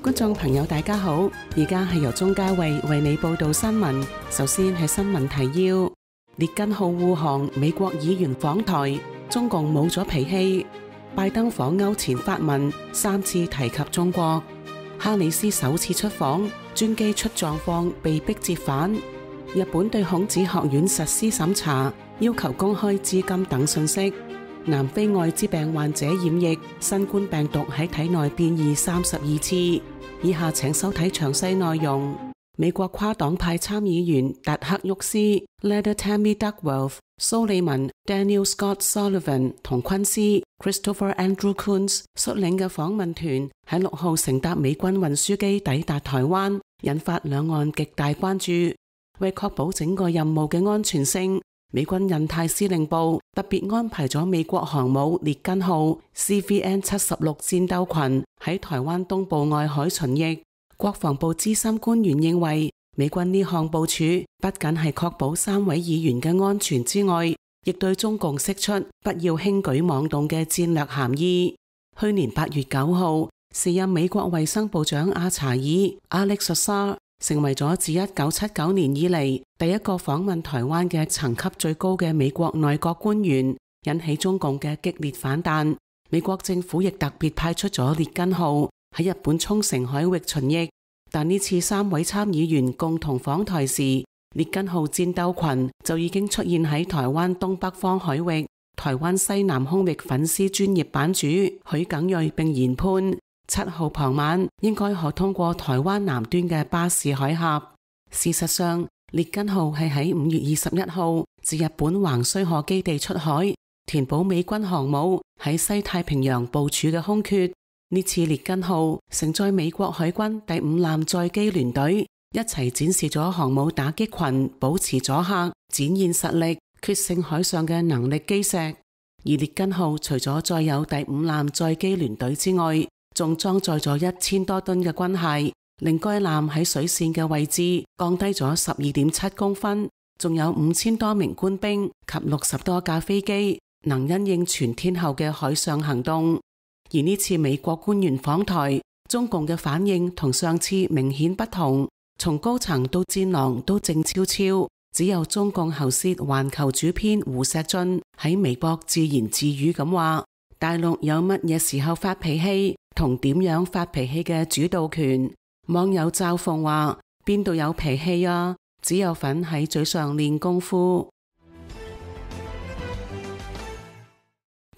觀眾朋友大家好，而家係由鍾嘉慧為你報道新聞。首先係新聞提要：列根號護航，美國議員訪台，中共冇咗脾氣。拜登訪歐前發文3次提及中國。哈里斯首次出訪，專機出狀況被迫折返。日本對孔子學院實施審查，要求公開資金等信息。南非艾滋病患者染疫，新冠病毒喺體內變異32次。以下請收睇詳細內容。美國跨黨派參議員達克沃斯、Leda Tammy Duckworth、蘇利文、Daniel Scott Sullivan 同昆斯、Christopher Andrew Coons 率領嘅訪問團喺6號乘搭美軍運輸機抵達台灣，引發兩岸極大關注。為確保整個任務嘅安全性，美軍印太司令部特別安排咗美國航母列根號 CVN-76 戰鬥群喺台灣東部外海巡弋。國防部資深官員認為，美軍呢項部署不僅係確保3位議員嘅安全之外，亦對中共釋出不要輕舉妄動嘅戰略含義。去年8月9號，時任美國衛生部長阿查爾 Alex Azar 成為咗自1979年以嚟第一個訪問台灣嘅層級最高嘅美國內閣官員，引起中共嘅激烈反彈。美國政府亦特別派出咗列根號喺日本沖繩海域巡弋，但呢次3位參議員共同訪台時，列根號戰鬥群就已經出現喺台灣東北方海域。台灣西南空域粉絲專業版主許耿睿並研判7號傍晚應該可通過台灣南端嘅巴士海峽。事實上，列根號係喺5月21號自日本橫須賀基地出海，填補美軍航母喺西太平洋部署嘅空缺。呢次列根號承載美國海軍第5艦載機聯隊，一齊展示咗航母打擊群保持阻嚇、展現實力、決勝海上嘅能力基石。而列根號除咗載有第5艦載機聯隊之外，仲裝載咗1000多噸嘅軍械，令該艦喺水線嘅位置降低咗12.7公分，仲有5000多名官兵及60多架飛機，能因應全天候嘅海上行動。而呢次美國官員訪台，中共嘅反應同上次明顯不同，從高層到戰狼都靜悄悄，只有中共喉舌環球主編胡錫進喺微博自言自語咁話：大陸有乜嘢時候發脾氣同點樣發脾氣嘅主導權。網友嘲諷話：邊度有脾氣啊？只有份喺嘴上練功夫。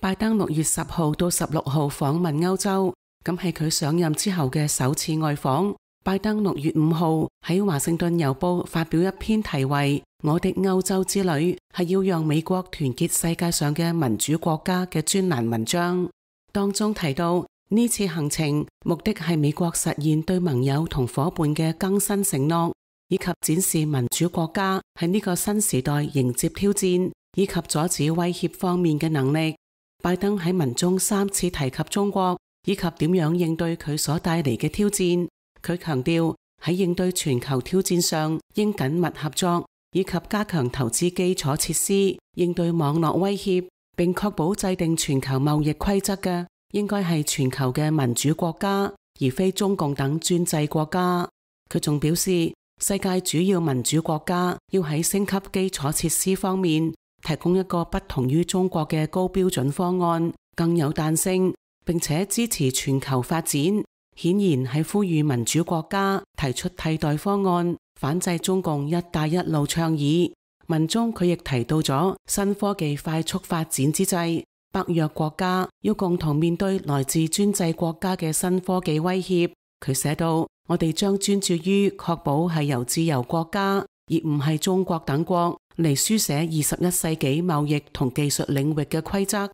拜登6月10號到16號訪問歐洲，咁係佢上任之後嘅首次外訪。拜登6月5號喺華盛頓郵報發表一篇題為《我的歐洲之旅》，係要讓美國團結世界上嘅民主國家嘅專欄文章。當中提到，呢次行程目的係美國實現對盟友同夥伴嘅更新承諾，以及展示民主國家喺呢個新時代迎接挑戰以及阻止威脅方面嘅能力。拜登喺文中3次提及中國，以及點樣應對佢所帶嚟嘅挑戰。佢強調喺應對全球挑戰上應緊密合作，以及加強投資基礎設施，應對網絡威脅，並確保制定全球貿易規則嘅應該係全球嘅民主國家，而非中共等專制國家。佢仲表示，世界主要民主國家要喺升級基礎設施方面提供一個不同於中國嘅高標準方案，更有彈性，並且支持全球發展。顯然係呼籲民主國家提出替代方案，反制中共一帶一路倡議。文中佢亦提到咗新科技快速發展之際，北約國家要共同面對來自專制國家嘅新科技威脅。佢寫道：我哋將專注於確保係由自由國家，而唔係中國等國嚟書寫21世紀貿易同技術領域嘅規則。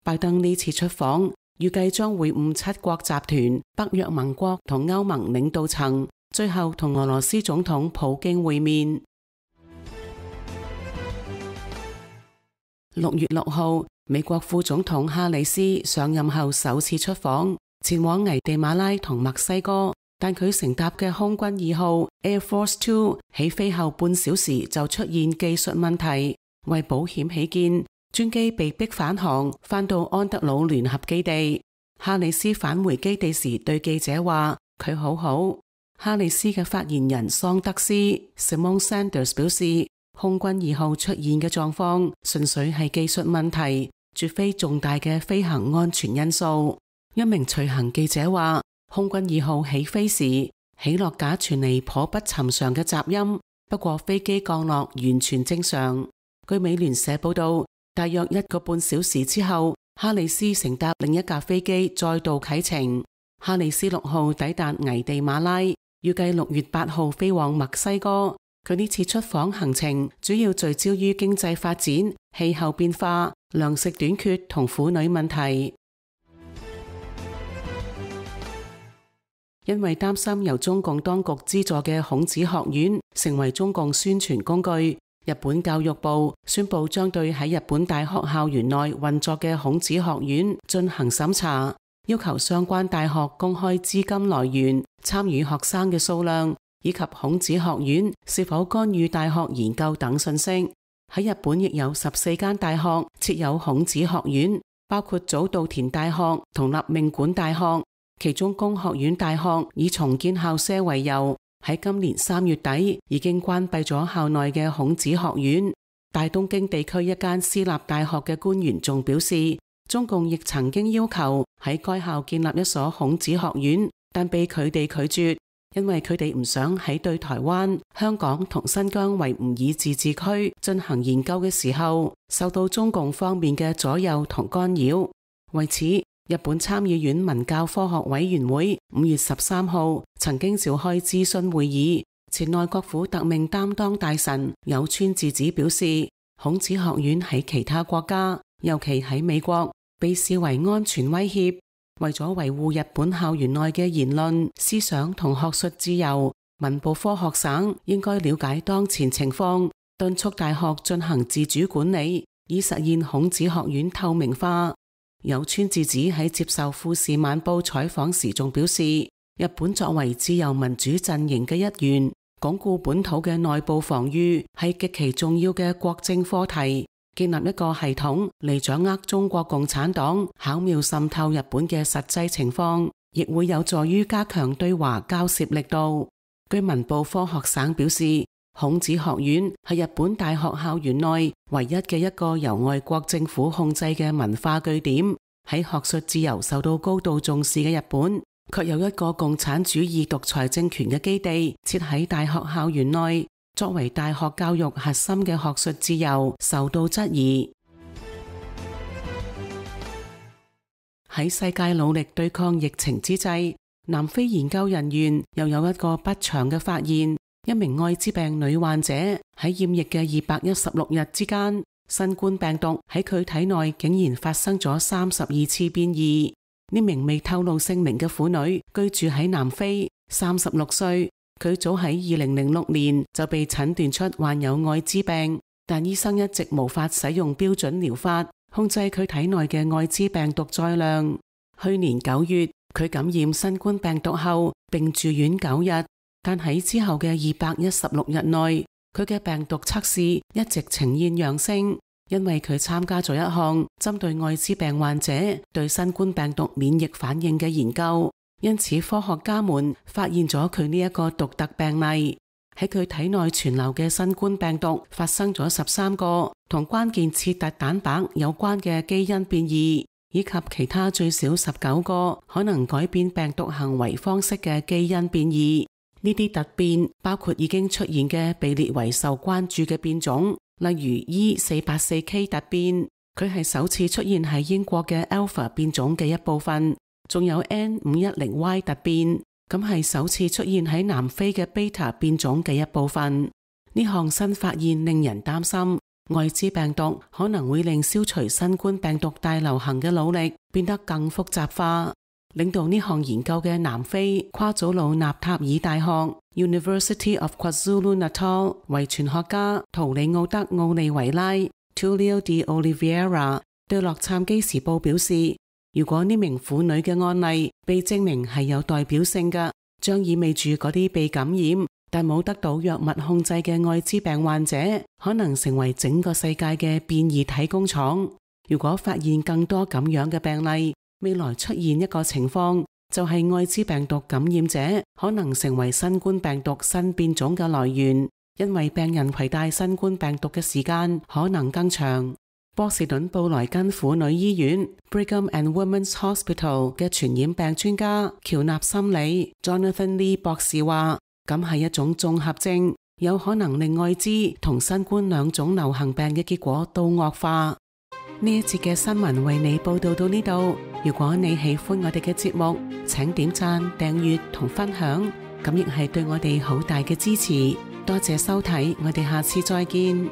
拜登呢次出訪，預計將會晤7國集團、北約盟國同歐盟領導層，最後同俄羅斯總統普京會面。6月6號，美國副總統哈里斯上任後首次出訪，前往危地馬拉同墨西哥。但佢乘搭嘅空軍2號 Air Force 2起飛後半小時就出現技術問題，為保險起見，專機被迫返航，返到安德魯聯合基地。哈里斯返回基地時對記者話，佢好好。哈里斯嘅發言人桑德斯 Simone Sanders 表示，空軍2號出現嘅狀況純粹係技術問題，絕非重大嘅飛行安全因素。一名隨行記者話，空軍2號起飛時，起落架傳嚟頗不尋常嘅雜音，不過飛機降落完全正常。據美聯社報道，大約1個半小時之後，哈里斯乘搭另一架飛機再度啟程。哈里斯6號抵達危地馬拉，預計6月8號飛往墨西哥。佢呢次出訪行程主要聚焦於經濟發展、氣候變化、糧食短缺同婦女問題。因為擔心由中共當局資助嘅孔子學院成為中共宣傳工具，日本教育部宣布將對喺日本大學校園內運作嘅孔子學院進行審查，要求相關大學公開資金來源、參與學生嘅數量，以及孔子學院是否干預大學研究等信息。喺日本亦有14間大學設有孔子學院，包括早稻田大學同立命館大學。其中工學院大學以重建校舍為由，喺今年3月底已經關閉咗校內嘅孔子學院。大東京地區一間私立大學嘅官員仲表示，中共亦曾經要求喺該校建立一所孔子學院，但被佢哋拒絕，因為佢哋唔想喺對台灣、香港同新疆維吾爾自治區進行研究嘅時候，受到中共方面嘅左右同干擾。為此，日本參議院文教科學委員會5月13號曾經召開諮詢會議，前內閣府特命擔當大臣有川智子表示，孔子學院喺其他國家，尤其喺美國，被視為安全威脅。為咗維護日本校園內嘅言論、思想同學術自由，文部科學省應該了解當前情況，敦促大學進行自主管理，以實現孔子學院透明化。有川智子喺接受富士晚報採訪時仲表示，日本作為自由民主陣營嘅一員，鞏固本土嘅內部防禦係極其重要嘅國政課題。建立一個系統嚟掌握中國共產黨巧妙滲透日本嘅實際情況，亦會有助於加強對華交涉力度。據文部科學省表示，孔子學院係日本大學校園內唯一嘅一個由外國政府控制嘅文化據點。喺學術自由受到高度重視嘅日本，卻有一個共產主義獨裁政權嘅基地設喺大學校園內，作為大學教育核心嘅學術自由受到質疑。喺世界努力對抗疫情之際，南非研究人員又有一個不祥嘅發現。一名艾滋病女患者喺染疫嘅216日之間，新冠病毒喺佢體內竟然發生咗32次變異。呢名未透露姓名嘅婦女居住喺南非，36歲。佢早喺2006年就被診斷出患有艾滋病，但醫生一直無法使用標準療法控制佢體內嘅艾滋病毒載量。去年9月，佢感染新冠病毒後並住院9日。但喺之後嘅216日內，佢嘅病毒測試一直呈現陽性，因為佢參加咗一項針對艾滋病患者對新冠病毒免疫反應嘅研究，因此科學家們發現咗佢呢一個獨特病例。喺佢體內存留嘅新冠病毒發生咗13個同關鍵刺突蛋白有關嘅基因變異，以及其他最少19個可能改變病毒行為方式嘅基因變異。呢啲突變包括已經出現嘅被列為受關注嘅變種，例如 E484K 突變，佢係首次出現喺英國嘅 Alpha 變種嘅一部分，仲有 N510Y 突變，咁係首次出現喺南非嘅 Beta 變種嘅一部分。呢項新發現令人擔心，艾滋病毒可能會令消除新冠病毒大流行嘅努力變得更複雜化。領導呢項研究嘅南非夸祖魯納塔爾大學 University of KwaZulu-Natal 遺傳學家圖里奧德奧利維拉 Tulio de Oliveira 對洛杉磯時報表示，如果呢名婦女嘅案例被證明係有代表性嘅，將意味住嗰啲被感染但冇得到藥物控制嘅艾滋病患者可能成為整個世界嘅變異體工廠。如果發現更多咁樣嘅病例，未來出現一個情況，就係艾滋病毒感染者可能成為新冠病毒新變種嘅來源，因為病人攜帶新冠病毒嘅時間可能更長。波士頓布萊根婦女醫院 Brigham and Women's Hospital 嘅傳染病專家喬納森里 Jonathan Lee 博士話，咁係一種綜合症，有可能令艾滋同新冠兩種流行病嘅結果都惡化。呢一節嘅新聞為你報道到呢度。如果你喜歡我哋嘅節目，請點讚、訂閱同分享，咁亦係對我哋好大嘅支持。多謝收睇，我哋下次再見。